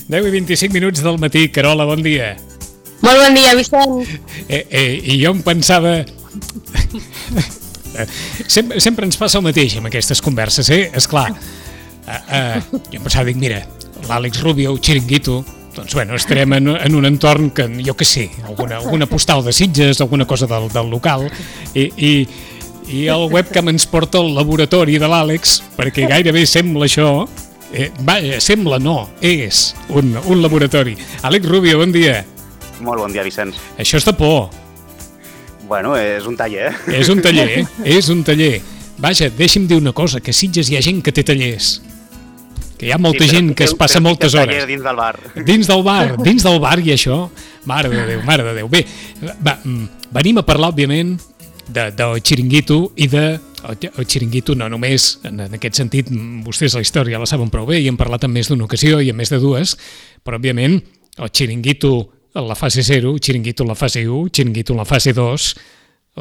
10:25 del matí. Carola, bon dia. Molt bon dia, Vicent. I jo em pensava... sempre ens passa el mateix amb aquestes converses, esclar. Jo em pensava, dic, mira, l'Àlex Rubio, el Chiringuito, doncs bueno, estarem en un entorn que, jo què sé, alguna postal de Sitges, alguna cosa del local, i el webcam ens porta al laboratori de l'Àlex, perquè gairebé sembla això... Vaja, sembla no, és un laboratori. Àlex Rubio, bon dia. Molt bon dia, Vicenç. Això és de por. Bueno, és un taller. És un taller, és un taller. Vaja, deixi'm dir una cosa, que a Sitges hi ha gent que té tallers. Que hi ha molta gent que es passa moltes hores. Dins del bar. Dins del bar i això. Mare de Déu, mare de Déu. Bé, venim a parlar, òbviament, del Chiringuito i de... El Chiringuito no només, en aquest sentit, vostès la història la saben prou bé i hem parlat en més d'una ocasió i en més de dues, però, òbviament, el Chiringuito en la fase 0, el Chiringuito en la fase 1, el Chiringuito en la fase 2,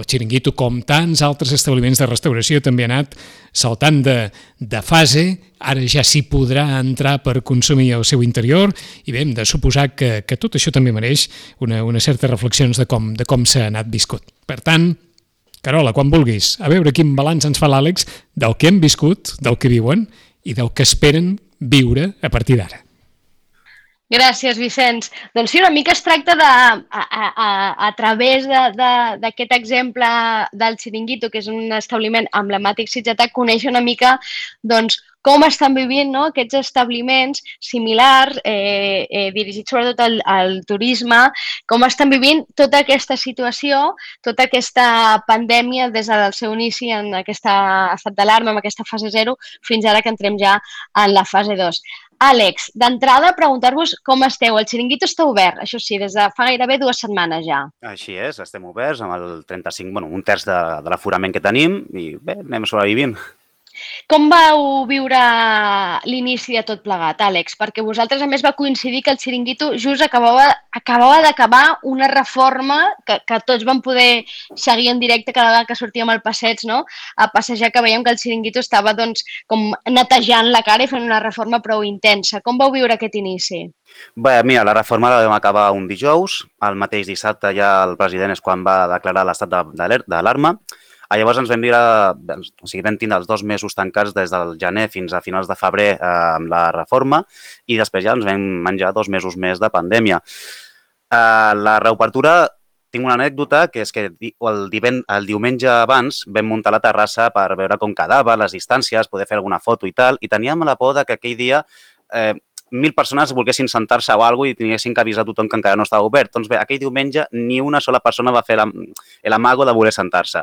el Chiringuito, com tants altres establiments de restauració, també ha anat saltant de fase, ara ja s'hi podrà entrar per consumir al seu interior, i bé, hem de suposar que tot això també mereix una certa reflexions de com s'ha anat viscut. Per tant, Carola, quan vulguis, a veure quin balanç ens fa l'Àlex del que hem viscut, del que viuen i del que esperen viure a partir d'ara. Gràcies, Vicenç. Doncs sí, una mica es tracta de, a través d'aquest exemple del Chiringuito, que és un establiment emblemàtic sitgetà, conèixer una mica doncs, com estan vivint aquests establiments similars, dirigits sobretot al turisme, com estan vivint tota aquesta situació, tota aquesta pandèmia des del seu inici en aquest estat d'alarma, en aquesta fase 0, fins ara que entrem ja en la fase 2. Àlex, d'entrada, preguntar-vos com esteu. El Chiringuito està obert, això sí, des de fa gairebé 2 setmanes ja. Així és, estem oberts amb el 35, un terç de l'aforament que tenim i bé, anem sobrevivint. Com vau viure l'inici de tot plegat, Àlex? Perquè vosaltres, a més, va coincidir que el Chiringuito just acabava d'acabar una reforma que tots vam poder seguir en directe cada vegada que sortíem al passeig, no? A passejar, que veiem que el Chiringuito estava doncs, com netejant la cara i fent una reforma prou intensa. Com vau viure aquest inici? Bé, mira, la reforma la vam acabar un dijous. El mateix dissabte ja el president és quan va declarar l'estat d'alarma. Llavors ens vam vam tindre els 2 mesos tancats des del gener fins a finals de febrer amb la reforma i després ja ens vam menjar 2 mesos més de pandèmia. La reobertura, tinc una anècdota, que és que el diumenge abans vam muntar la terrassa per veure com quedava, les distàncies, poder fer alguna foto i tal, i teníem la por que aquell dia 1.000 persones volguessin sentar-se o alguna cosa i tinguessin que avisar tothom que encara no estava obert. Doncs bé, aquell diumenge ni una sola persona va fer l'amago de voler sentar-se.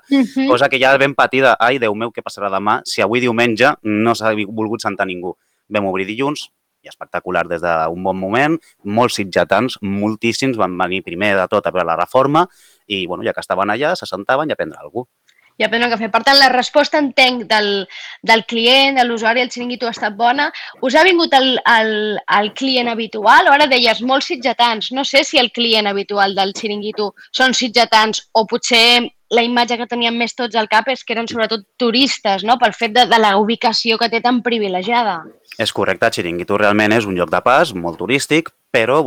Cosa que ja vam patir de, ai, Déu meu, què passarà demà si avui diumenge no s'ha volgut sentar ningú. Vam obrir dilluns, i espectacular des d'un bon moment, molts sitgetans, moltíssims, van venir primer de tot a veure la reforma i, ja que estaven allà, se sentaven i a prendre alguna cosa. I a prendre un cafè. Per tant, la resposta, entenc, del client, de l'usuari del Chiringuito ha estat bona. Us ha vingut el client habitual? Ara deies, molts sitgetans. No sé si el client habitual del Chiringuito són sitgetans o potser la imatge que teníem més tots al cap és que eren sobretot turistes, no? Pel fet de la ubicació que té tan privilegiada. És correcte, Chiringuito realment és un lloc de pas molt turístic, però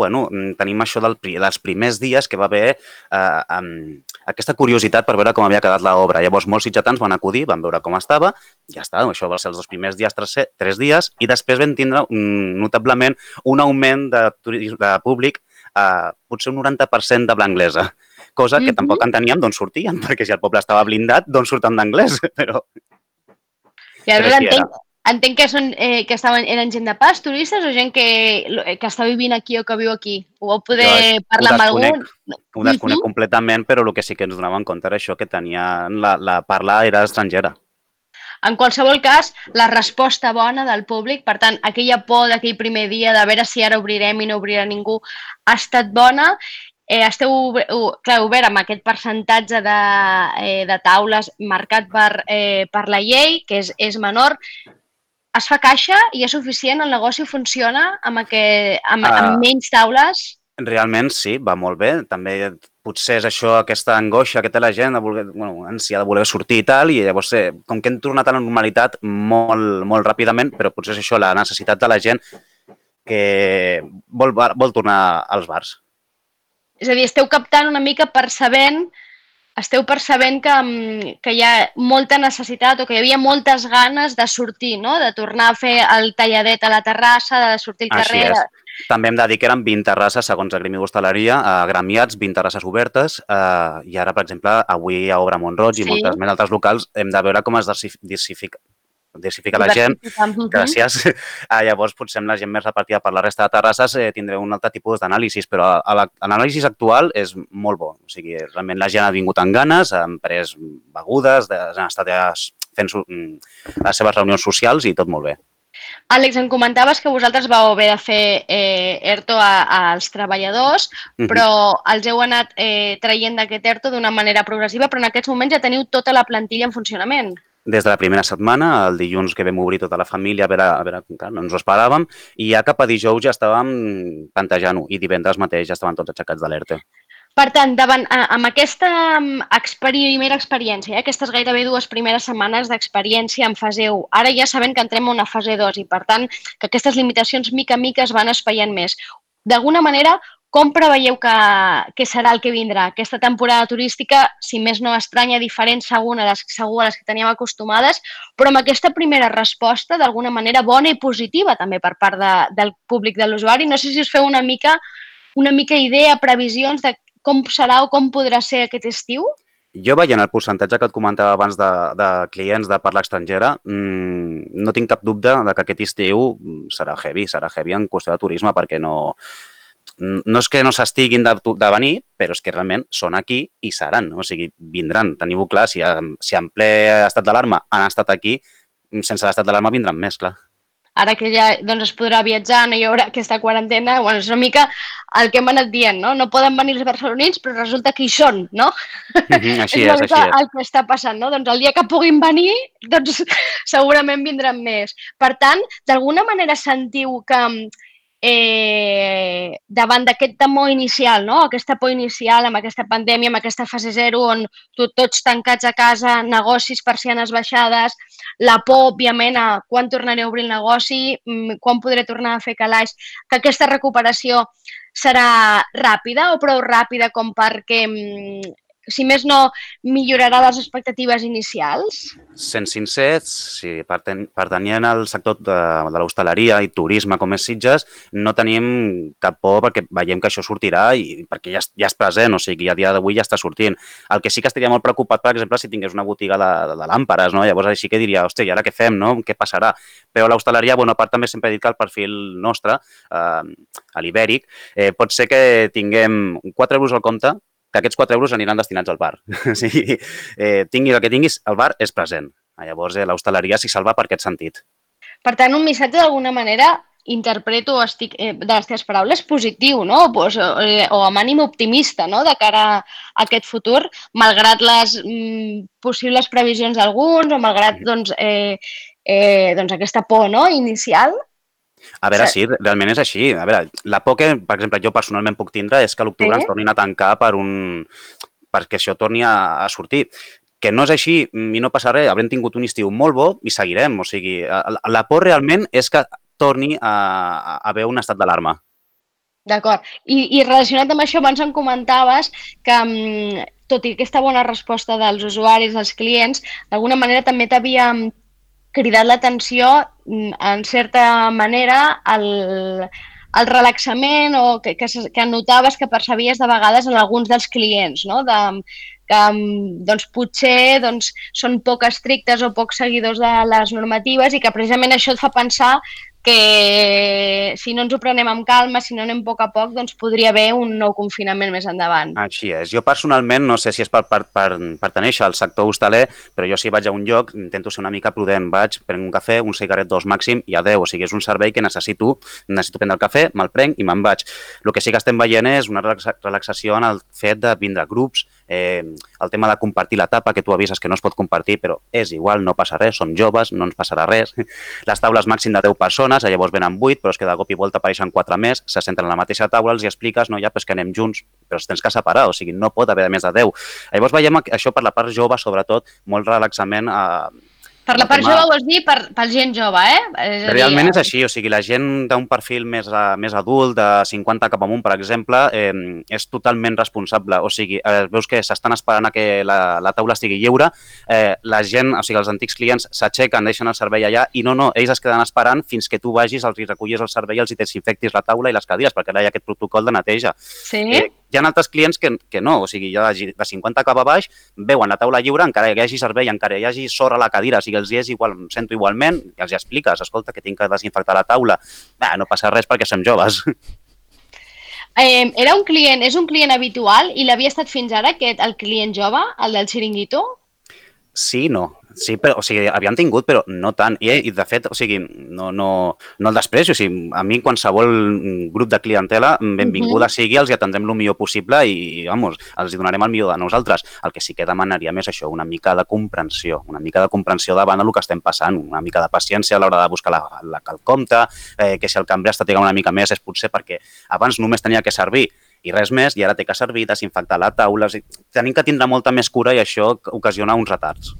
tenim això dels primers dies que va haver aquesta curiositat per veure com havia quedat l'obra. Llavors, molts sitgetans van acudir, van veure com estava, ja està, això va ser els 2 primers dies, 3 dies, i després vam tindre notablement un augment de públic, potser un 90% de blanglesa, cosa que tampoc enteníem d'on sortien, perquè si el poble estava blindat, d'on surten d'anglès, però... I ara entenc que eren gent de pas, turistes, o gent que està vivint aquí o que viu aquí? Ho vau poder parlar amb algú? Ho desconec completament, però el que sí que ens donàvem compte era això, que la parla era estrangera. En qualsevol cas, la resposta bona del públic, per tant, aquella por d'aquell primer dia de veure si ara obrirem i no obrirà ningú, ha estat bona. Esteu obert amb aquest percentatge de taules marcat per la llei, que és menor. Es fa caixa i és suficient? El negoci funciona amb menys taules? Realment sí, va molt bé. També potser és això, aquesta angoixa que té la gent, ànsia de voler sortir i tal, i llavors, com que hem tornat a la normalitat molt, molt ràpidament, però potser és això, la necessitat de la gent que vol tornar als bars. És a dir, esteu captant una mica esteu percebent que hi ha molta necessitat o que hi havia moltes ganes de sortir, no? De tornar a fer el talladet a la terrassa, de sortir al carrer. Així és. També hem de dir que eren 20 terrasses, segons el Gremi d'Hostaleria, gremiats, 20 terrasses obertes, i ara, per exemple, avui a Obra Mont-roig i moltes més altres locals, hem de veure com es diversifica la gent. Gràcies. Llavors, potser amb la gent més repartida per la resta de terrasses tindrem un altre tipus d'anàlisis, però l'anàlisi actual és molt bo. O sigui, realment la gent ha vingut amb ganes, han pres begudes, han estat fent les seves reunions socials i tot molt bé. Àlex, em comentaves que vosaltres vau haver de fer ERTO als treballadors, però els heu anat traient d'aquest ERTO d'una manera progressiva, però en aquests moments ja teniu tota la plantilla en funcionament. Des de la primera setmana, el dilluns que vam obrir tota la família, a veure, no ens ho esperàvem, i ja cap a dijous ja estàvem plantejant-ho, i divendres mateix ja estaven tots aixecats de l'ERTE. Per tant, amb aquesta primera experiència, aquestes gairebé 2 primeres setmanes d'experiència en fase 1, ara ja sabem que entrem a una fase 2 i, per tant, que aquestes limitacions mica en mica es van espaiant més. D'alguna manera, com preveieu que serà el que vindrà? Aquesta temporada turística, si més no estranya, diferent segur a les que teníem acostumades, però amb aquesta primera resposta, d'alguna manera bona i positiva també per part del públic de l'usuari. No sé si us feu una mica idea, previsions de com serà o com podrà ser aquest estiu? Jo, veient el percentatge que et comentava abans de clients de parla estrangera, no tinc cap dubte que aquest estiu serà heavy en qüestió de turisme, perquè no és que no s'estiguin de venir, però és que realment són aquí i seran, o sigui, vindran. Teniu-ho clar, si en ple estat d'alarma han estat aquí, sense l'estat d'alarma vindran més, clar. Ara que ja es podrà viatjar, no hi haurà aquesta quarantena, és una mica el que hem anat dient, no? No poden venir els barcelonins, però resulta que hi són, no? Així és. El que està passant, no? Doncs el dia que puguin venir, doncs segurament vindran més. Per tant, d'alguna manera sentiu que davant d'aquest temor inicial, no? Aquesta por inicial amb aquesta pandèmia, amb aquesta fase 0 on tots tancats a casa, negocis, persianes baixades, la por, òbviament, a quan tornaré a obrir el negoci, quan podré tornar a fer calaix, que aquesta recuperació serà ràpida o prou ràpida com perquè, si més no, millorarà les expectatives inicials? Sent sincers, si pertanyent al sector de l'hostaleria i turisme com és Sitges, no tenim cap por perquè veiem que això sortirà i perquè ja és present, o sigui, a dia d'avui ja està sortint. El que sí que estaria molt preocupat, per exemple, si tingués una botiga de làmperes, no? Llavors així que diria, hòstia, i ara què fem, no? Què passarà? Però l'hostaleria, a part també sempre he dit que el perfil nostre, a l'Ibèric, pot ser que tinguem 4 euros al compte, que aquests 4 euros aniran destinats al bar. O sigui, tinguis el que tinguis, el bar és present. Llavors, l'hostaleria s'hi salva per aquest sentit. Per tant, un missatge d'alguna manera, interpreto de les teves paraules, positiu, no? O amb ànim optimista, no? De cara a aquest futur, malgrat les possibles previsions d'alguns o malgrat aquesta por inicial. A veure, sí, realment és així. A veure, la por que, per exemple, jo personalment puc tindre és que a l'octubre ens tornin a tancar perquè això torni a sortir. Que no és així i no passa res, haurem tingut un estiu molt bo i seguirem. O sigui, la por realment és que torni a haver un estat d'alarma. D'acord. I relacionat amb això, abans em comentaves que, tot i aquesta bona resposta dels usuaris, dels clients, d'alguna manera també t'havia cridat l'atenció, en certa manera, el relaxament o que notaves que percebies de vegades en alguns dels clients, no? Que potser són poc estrictes o poc seguidors de les normatives i que precisament això et fa pensar que si no ens ho prenem amb calma, si no anem a poc, doncs podria haver un nou confinament més endavant. Així és. Jo personalment, no sé si és per pertenèixer al sector hostaler, però jo si vaig a un lloc intento ser una mica prudent. Vaig, prenc un cafè, un cigarret, 2 màxim i adeu. O sigui, és un servei que necessito prendre el cafè, me'l prenc i me'n vaig. El que sí que estem veient és una relaxació en el fet de vindre a grups, el tema de compartir la tapa, que tu avises que no es pot compartir, però és igual, no passa res, som joves, no ens passarà res. Les taules màxim de 10 persones, llavors venen 8, però és que de cop i volta apareixen 4 més, se senten a la mateixa taula, els hi expliques, no, ja, però és que anem junts, però els tens que separar, o sigui, no pot haver més de 10. Llavors veiem això per la part jove, sobretot, molt relaxament Per la part jove vols dir per gent jove, Realment és així, o sigui, la gent d'un perfil més adult, de 50 cap amunt, per exemple, és totalment responsable. O sigui, veus que s'estan esperant a que la taula estigui lliure, la gent, o sigui, els antics clients s'aixequen, deixen el servei allà i no, ells es queden esperant fins que tu vagis, els recullis el servei, els desinfectis la taula i les cadires, perquè ara hi ha aquest protocol de neteja. Sí? Hi ha altres clients que no, o sigui, de 50 cap a baix, veuen la taula lliure, encara hi hagi servei, encara hi hagi sorra a la cadira, o sigui, els és igual, em sento igualment, i els expliques, escolta, que tinc que desinfectar la taula. No passa res perquè som joves. És un client habitual i l'havia estat fins ara, el client jove, el del xiringuito? Sí, no. Sí, però, o sigui, havíem tingut, però no tant. I de fet, o sigui, no el desprecio. O sigui, a mi, qualsevol grup de clientela, benvinguda sigui, els hi atendrem el millor possible i, vamos, els hi donarem el millor de nosaltres. El que sí que demanaríem és això, una mica de comprensió davant del que estem passant, una mica de paciència a l'hora de buscar el compte, que si el cambrer està trigant una mica més és potser perquè abans només tenia que servir i res més, i ara té que servir, desinfectar la taula. O sigui, tenim que tindre molta més cura i això ocasiona uns retards.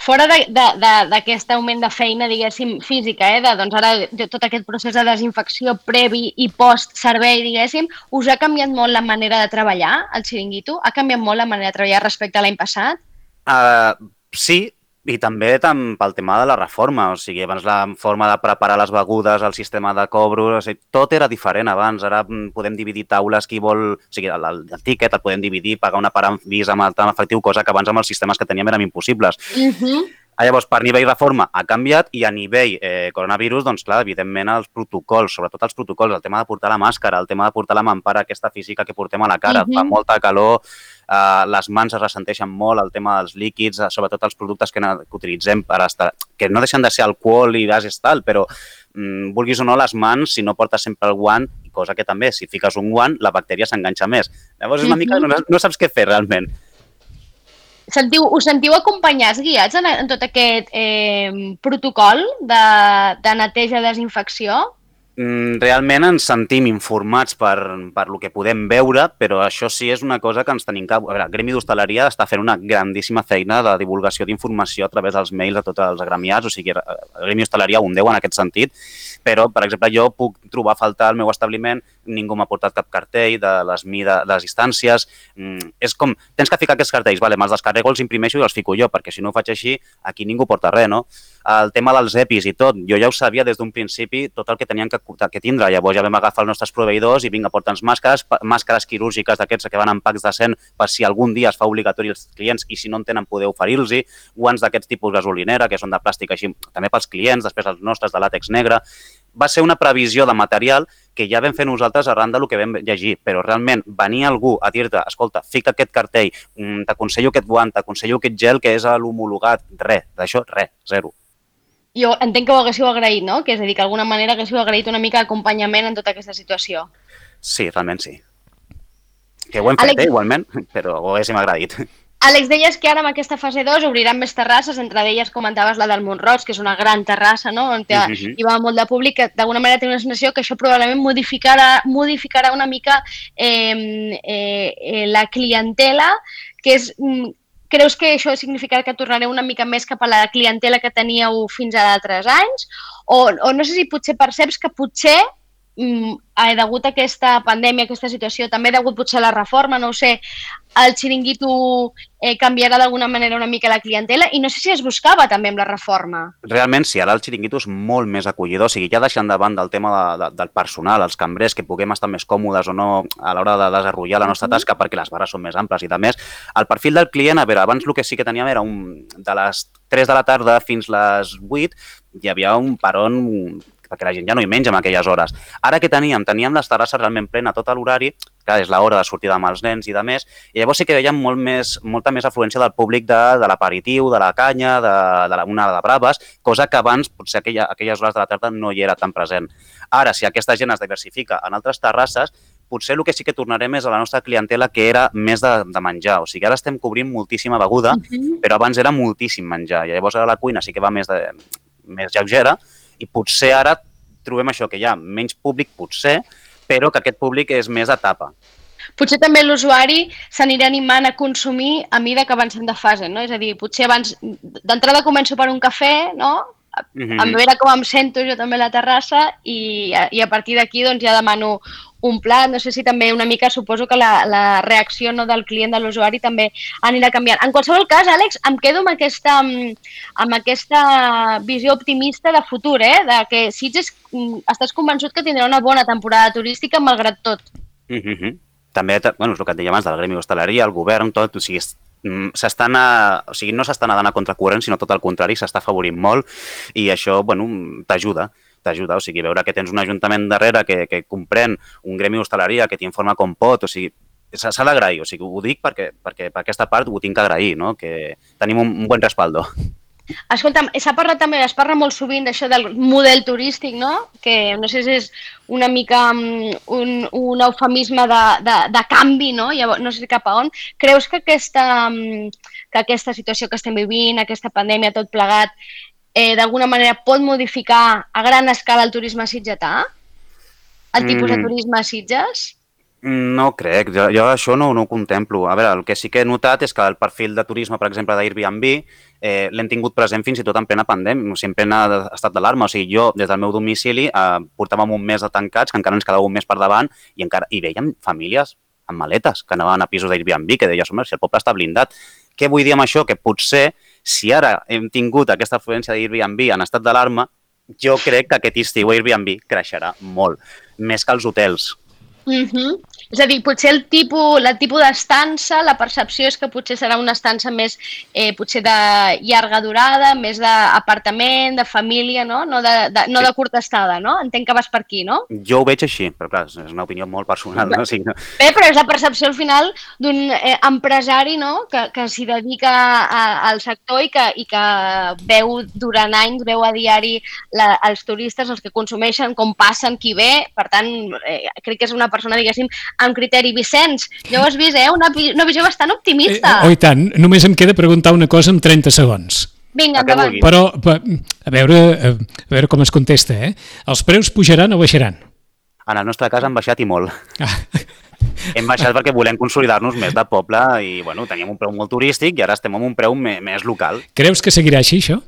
Fora d'aquest augment de feina, diguéssim, física, doncs ara tot aquest procés de desinfecció previ i post-servei, diguéssim, us ha canviat molt la manera de treballar, el xiringuito? Ha canviat molt la manera de treballar respecte a l'any passat? Sí, i també pel tema de la reforma, o sigui, abans la forma de preparar les begudes, el sistema de cobro, o sigui, tot era diferent abans, ara podem dividir taules, qui vol, o sigui, el tíquet el podem dividir, pagar una part amb Visa, amb efectiu, cosa que abans amb els sistemes que teníem eren impossibles. Llavors, per nivell reforma ha canviat i a nivell coronavirus, doncs clar, evidentment els protocols, sobretot els protocols, el tema de portar la màscara, el tema de portar la mampara aquesta física que portem a la cara, fa molta calor, les mans es ressenteixen molt, el tema dels líquids, sobretot els productes que utilitzem per estar, que no deixen de ser alcohol i gas i tal, però vulguis o no, les mans, si no portes sempre el guant, cosa que també, si fiques un guant, la bactèria s'enganxa més. Llavors és una mica, no saps què fer realment. Us sentiu acompanyats, guiats en tot aquest protocol de neteja i desinfecció? Realment ens sentim informats per lo que podem veure, però això sí és una cosa que ens tenim que... A veure, el Gremi d'Hostaleria està fent una grandíssima feina de divulgació d'informació a través dels mails de tots els agremiats, o sigui, el Gremi d'Hostaleria un 10 en aquest sentit, però, per exemple, jo puc trobar a faltar al meu establiment, ningú m'ha portat cap cartell de les distàncies, és com, tens que ficar aquests cartells, vale, me'ls descarrego, els imprimeixo i els fico jo, perquè si no ho faig així, aquí ningú porta res, no? El tema dels EPIs i tot, jo ja ho sabia des d'un principi, tot el que tenien que tindre, llavors ja vam agafar els nostres proveïdors i vinga, porta'ns màscares quirúrgiques d'aquests que van en packs de 100 per si algun dia es fa obligatori als clients i si no en tenen poder oferir-los-hi, guants d'aquests tipus gasolinera, que són de plàstic així, també pels clients, després els nostres de làtex negre. Va ser una previsió de material que ja vam fer nosaltres arran del que vam llegir, però realment venir algú a dir-te, escolta, fica aquest cartell, t'aconsello aquest guant, t'aconsello aquest gel que és l'homologat, res, d'això, res, zero. Jo entenc que ho haguéssiu agraït, no? Que és a dir, que d'alguna manera haguéssiu agraït una mica d'acompanyament en tota aquesta situació. Sí, realment sí. Que ho hem fet, igualment, però ho haguéssim agraït. Àlex, deies que ara en aquesta fase 2 obriran més terrasses, entre elles comentaves la del Mont-roig, que és una gran terrassa, no? On hi va molt de públic, que d'alguna manera té una sensació que això probablement modificarà una mica la clientela, que és... Creus que això significarà que tornareu una mica més cap a la clientela que teníeu fins a d'altres anys? O no sé si potser perceps que potser, degut a aquesta pandèmia, aquesta situació, també degut potser a la reforma, no ho sé, el xiringuito canviarà d'alguna manera una mica la clientela i no sé si es buscava també amb la reforma. Realment sí, ara el xiringuito és molt més acollidor, o sigui, ja deixant de banda el tema del personal, els cambrers, que puguem estar més còmodes o no a l'hora de desenvolupar la nostra tasca perquè les barres són més amples i de més. El perfil del client, a veure, abans el que sí que teníem era de les 3 de la tarda fins les 8, hi havia un peron perquè la gent ja no hi menja en aquelles hores. Ara què teníem? Teníem les terrasses realment plena tot l'horari, que és l'hora de sortir amb els nens i de més, i llavors sí que veiem molta més afluència del públic de l'aperitiu, de la canya, de una de braves, cosa que abans, potser aquelles hores de la tarda no hi era tan present. Ara, si aquesta gent es diversifica en altres terrasses, potser el que sí que tornarem és a la nostra clientela que era més de menjar. O sigui, ara estem cobrint moltíssima beguda, però abans era moltíssim menjar. I llavors ara la cuina sí que va més lleugera, i potser ara trobem això, que hi ha menys públic, potser, però que aquest públic és més etapa. Potser també l'usuari s'anirà animant a consumir a mida que avancem de fase, no? És a dir, potser abans d'entrada començo per un cafè, no? A veure com em sento jo també a la terrassa i a partir d'aquí doncs ja demano un plat. No sé si també una mica suposo que la reacció, no, del client, de l'usuari també anirà canviant. En qualsevol cas, Àlex, em quedo amb aquesta visió optimista de futur, de que Sitges estàs convençut que tindrà una bona temporada turística malgrat tot. També, bueno, és el que et deia abans del gremi d'hostaleria, el govern, tot, o sigui, no s'està nedant a contracorrent, sinó tot el contrari, s'està afavorint molt i això, bueno, t'ajuda, o sigui, veure que tens un ajuntament darrere que comprèn un gremi d'hostaleria, que t'informa com pot, o sigui, s'ha d'agrair, o sigui, ho dic perquè per aquesta part ho tinc que agrair, no? Que tenim un bon respaldo. Escolta'm, s'ha parlat també, es parla molt sovint d'això del model turístic, no? Que no sé si és una mica un eufemisme de canvi, no? Llavors, no sé cap a on. Creus que aquesta situació que estem vivint, aquesta pandèmia, tot plegat, d'alguna manera pot modificar a gran escala el turisme sitgetà? El tipus de turisme a Sitges? No crec, jo això no ho contemplo. A veure, el que sí que he notat és que el perfil de turisme, per exemple, d'Airbnb, l'hem tingut present fins i tot en plena pandèmia, o sigui, en plena estat d'alarma. O sigui, jo, des del meu domicili, portàvem un mes de tancats, que encara ens quedava un mes per davant, i veiem famílies amb maletes que anaven a pisos d'Airbnb, que deies, home, si el poble està blindat. Què vull dir amb això? Que potser, si ara hem tingut aquesta afluència d'Airbnb en estat d'alarma, jo crec que aquest estiu Airbnb creixerà molt, més que els hotels. És a dir, potser el tipus d'estança, la percepció és que potser serà una estança més potser de llarga durada, més d'apartament, de família, no? No de curta estada, no? Entenc que vas per aquí, no? Jo ho veig així, però clar, és una opinió molt personal, no? Sí, no? Bé, però és la percepció al final d'un empresari, no? Que s'hi dedica al sector i que veu durant anys, veu a diari els turistes, els que consumeixen, com passen, qui ve. Per tant, crec que és una persona, diguéssim, amb criteri. Vicenç, ja ho has vist, una visió bastant optimista. Oh, i tant, només em queda preguntar una cosa en 30 segons. Vinga, endavant. Però, a veure com es contesta, Els preus pujaran o baixaran? En el nostre cas han baixat i molt. Hem baixat perquè volem consolidar-nos més de poble i, bueno, teníem un preu molt turístic i ara estem amb un preu més local. Creus que seguirà així, això?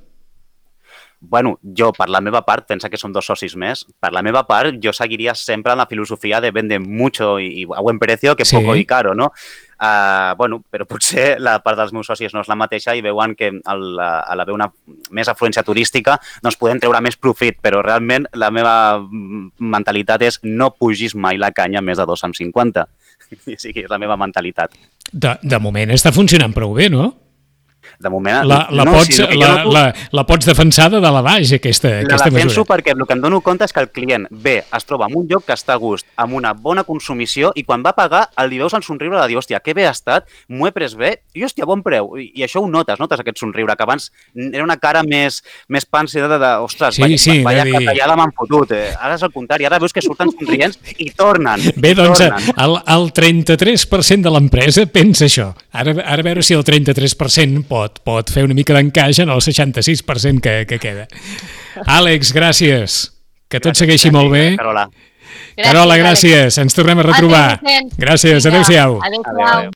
Bueno, jo, per la meva part, pensa que som 2 socis més, per la meva part, jo seguiria sempre en la filosofia de vender mucho y a buen precio que poco y caro, no? Bueno, però potser la part dels meus socis no és la mateixa i veuen que a l'haver una més afluència turística doncs podem treure més profit, però realment la meva mentalitat és no pugis mai la canya més de 2,50. O sigui, és la meva mentalitat. De moment està funcionant prou bé, no? De moment... La pots defensar de dalt a baix, aquesta mesura. La defenso perquè el que em dono compte és que el client ve, es troba en un lloc que està a gust, amb una bona consumició, i quan va pagar, li veus el somriure de dir, hòstia, que bé ha estat, m'ho he pres bé, i hòstia, bon preu. I això ho notes aquest somriure, que abans era una cara més pàncida de ostres, vaya catallada m'han fotut. Ara és el contrari, ara veus que surten somrients i tornen. Bé, doncs, el 33% de l'empresa pensa això. Ara a veure si el 33% pot fer una mica d'encaix en el 66% que queda. Àlex, gràcies. Que tot segueixi molt bé. Carola. Carola, gràcies. Ens tornem a retrobar. Gràcies. Adéu-siau. Adéu-siau.